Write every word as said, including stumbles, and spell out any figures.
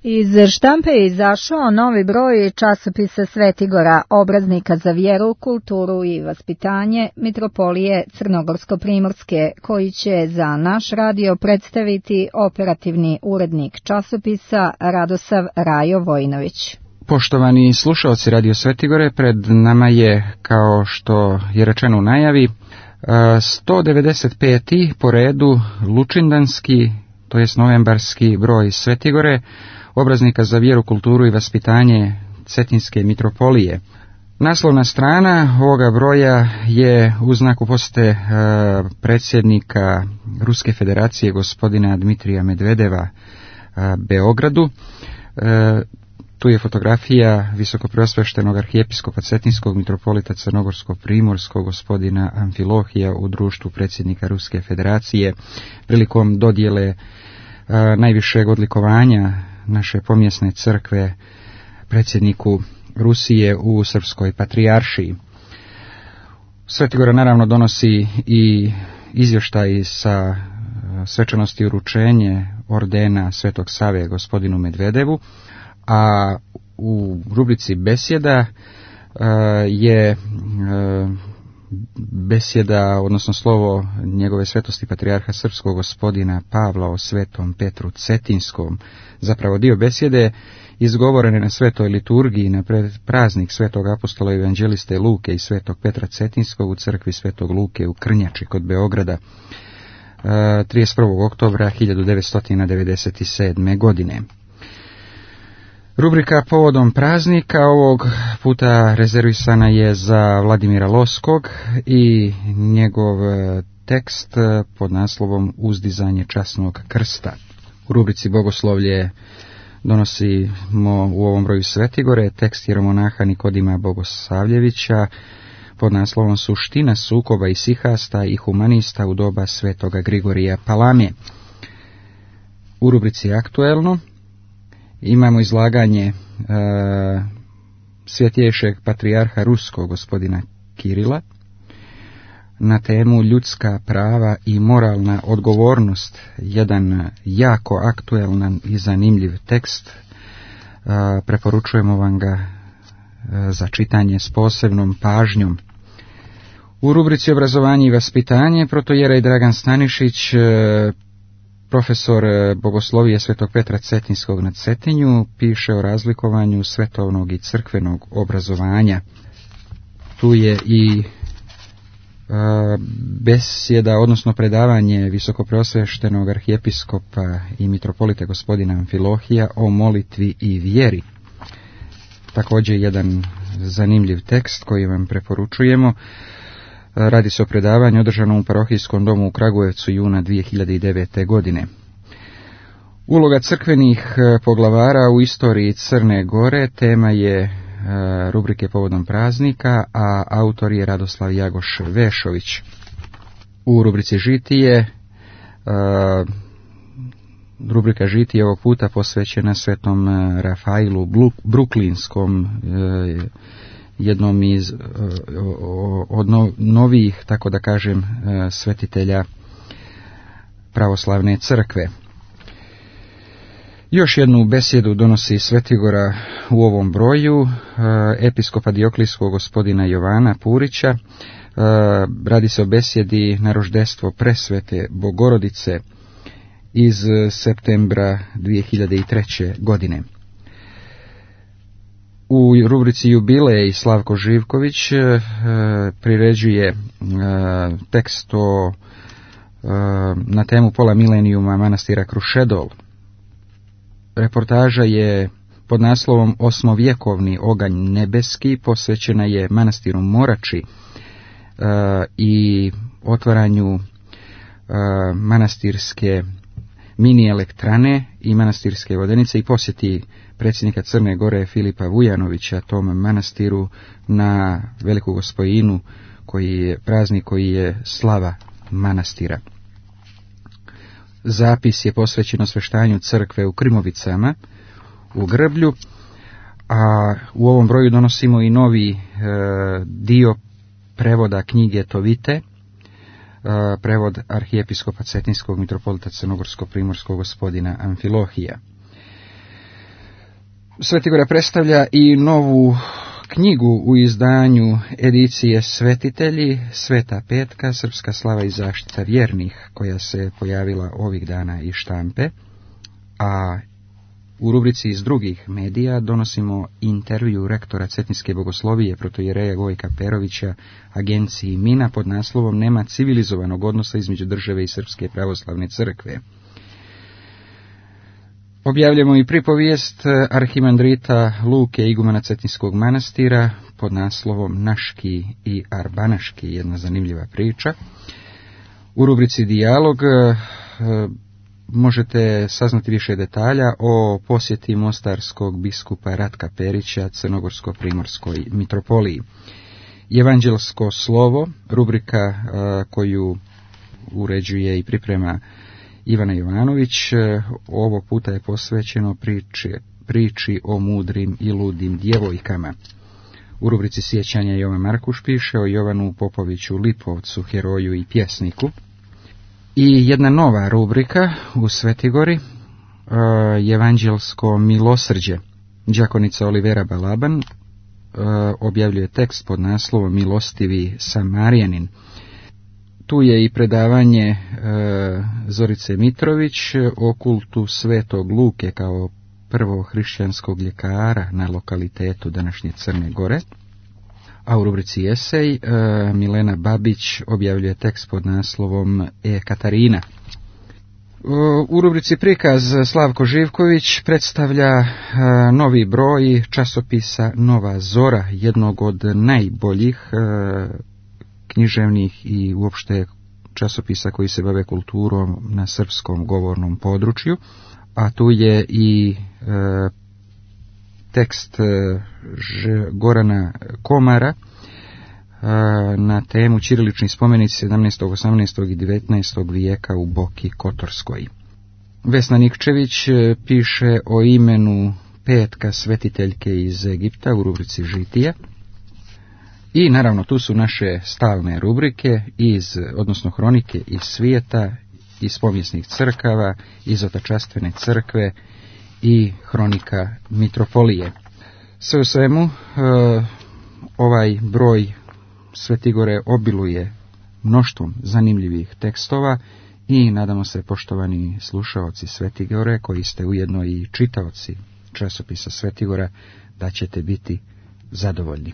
Iz štampe je izašao novi broj časopisa Svetigora, obraznika za vjeru, kulturu i vaspitanje Mitropolije Crnogorsko-primorske, koji će za naš radio predstaviti operativni urednik časopisa Radosav Rajo Vojinović. Poštovani slušalci Radio Svetigore, pred nama je, kao što je rečeno u najavi, sto devedeset peti po redu lučindanski, to jest novembarski broj Svetigore, obraznika za vjeru, kulturu i vaspitanje Cetinske mitropolije. Naslovna strana ovoga broja je u znaku posjete e, predsjednika Ruske federacije gospodina Dmitrija Medvedeva e, Beogradu. E, tu je fotografija visokopreosveštenog arhijepiskopa Cetinskog mitropolita Crnogorsko-primorskog gospodina Amfilohija u društvu predsjednika Ruske federacije prilikom dodjele e, najvišeg odlikovanja naše pomjesne crkve predsjedniku Rusije u Srpskoj patrijaršiji. Svetigora naravno donosi i izvještaj sa svečanosti uručenje ordena Svetog Save gospodinu Medvedevu, a u rubrici besjeda je besjeda, odnosno slovo njegove svetosti patrijarha srpskog gospodina Pavla o svetom Petru Cetinskom. Zapravo dio besjede izgovorene na svetoj liturgiji na praznik svetog apostola i evanđeliste Luke i svetog Petra Cetinskog u crkvi svetog Luke u Krnjači kod Beograda trideset prvog oktobra hiljadu devetsto devedeset sedme. godine. Rubrika povodom praznika ovog puta rezervisana je za Vladimira Loskog i njegov tekst pod naslovom Uzdizanje časnog krsta. U rubrici Bogoslovlje donosimo u ovom broju Svetigore tekst jeromonaha Nikodima Bogosavljevića pod naslovom Suština sukoba isihasta i humanista u doba svetoga Grigorija Palame. U rubrici Aktuelno imamo izlaganje e, svjetjejšeg patrijarha ruskog gospodina Kirila na temu ljudska prava i moralna odgovornost, jedan jako aktuelan i zanimljiv tekst. E, preporučujemo vam ga e, za čitanje s posebnom pažnjom. U rubrici Obrazovanje i vaspitanje protojerej Dragan Stanišić, e, profesor bogoslovije Svetog Petra Cetinskog na Cetinju, piše o razlikovanju svetovnog i crkvenog obrazovanja. Tu je i a, besjeda, odnosno predavanje visokopreosveštenog arhijepiskopa i mitropolita gospodina Amfilohija o molitvi i vjeri. Također jedan zanimljiv tekst koji vam preporučujemo. Radi se o predavanju održanom u parohijskom domu u Kragujevcu juna dvije hiljade devete. godine. Uloga crkvenih poglavara u istoriji Crne Gore tema je rubrike povodom praznika, a autor je Radoslav Jagoš Vešović. U rubrici Žitije, rubrika Žitije ovog puta posvećena svetom Rafailu Bruklinskom, jednom iz od novijih, tako da kažem, svetitelja pravoslavne crkve. Još jednu besjedu donosi Svetigora u ovom broju, episkopa Dioklijskog gospodina Jovana Purića. Radi se o besjedi na roždestvo presvete Bogorodice iz septembra dvije hiljade treće. godine. U rubrici Jubilej Slavko Živković e, priređuje e, tekst o, e, na temu pola milenijuma manastira Krušedol. Reportaža je pod naslovom Osmovjekovni oganj nebeski, posvećena je manastiru Morači e, i otvaranju e, manastirske mini elektrane i manastirske vodenice i posjeti predsjednika Crne Gore Filipa Vujanovića tom manastiru na Veliku Gospojinu, koji je praznik koji je slava manastira. Zapis je posvećen osveštanju crkve u Krimovicama u Grblju, a u ovom broju donosimo i novi e, dio prevoda knjige Tovite, e, prevod arhijepiskopa Cetinskog mitropolita Crnogorsko-primorskog gospodina Amfilohija. Svetigora predstavlja i novu knjigu u izdanju edicije Svetitelji, Sveta petka, Srpska slava i zaštita vjernih, koja se pojavila ovih dana iz štampe, a u rubrici iz drugih medija donosimo intervju rektora Cetinske bogoslovije protoijereja Gojka Perovića agenciji Mina pod naslovom Nema civilizovanog odnosa između države i Srpske pravoslavne crkve. Objavljamo i pripovijest arhimandrita Luke igumana Cetinskog manastira pod naslovom Naški i Arbanaški, jedna zanimljiva priča. U rubrici Dijalog možete saznati više detalja o posjeti mostarskog biskupa Ratka Perića Crnogorsko-primorskoj mitropoliji. Evanđelsko slovo, rubrika koju uređuje i priprema Ivana Jovanović, ovog puta je posvećeno priči, priči o mudrim i ludim djevojkama. U rubrici Sjećanja Jovan Markuš piše o Jovanu Popoviću Lipovcu, heroju i pjesniku. I jedna nova rubrika u Svetigori, Evanđelsko milosrđe. Đakonica Olivera Balaban objavljuje tekst pod naslovom Milostivi Samarijanin. Tu je i predavanje e, Zorice Mitrović o kultu Svetog Luke kao prvog hrišćanskog ljekara na lokalitetu današnje Crne Gore. A u rubrici Esej e, Milena Babić objavljuje tekst pod naslovom E Katarina. E, u rubrici Prikaz Slavko Živković predstavlja e, novi broj časopisa Nova Zora, jednog od najboljih e, književnih i uopšte časopisa koji se bave kulturom na srpskom govornom području, a tu je i e, tekst e, Ž, Gorana Komara e, na temu ćirilični spomenici sedamnaestog, osamnaestog i devetnaestog vijeka u Boki Kotorskoj. Vesna Nikčević e, piše o imenu petka svetiteljke iz Egipta u rubrici Žitija. I naravno tu su naše stalne rubrike, iz, odnosno hronike iz svijeta, iz povijesnih crkava, iz otačastvene crkve i hronika mitropolije. Sve u svemu, e, ovaj broj Svetigore obiluje mnoštvom zanimljivih tekstova i nadamo se, poštovani slušaoci Svetigore, koji ste ujedno i čitaoci časopisa Svetigora, da ćete biti zadovoljni.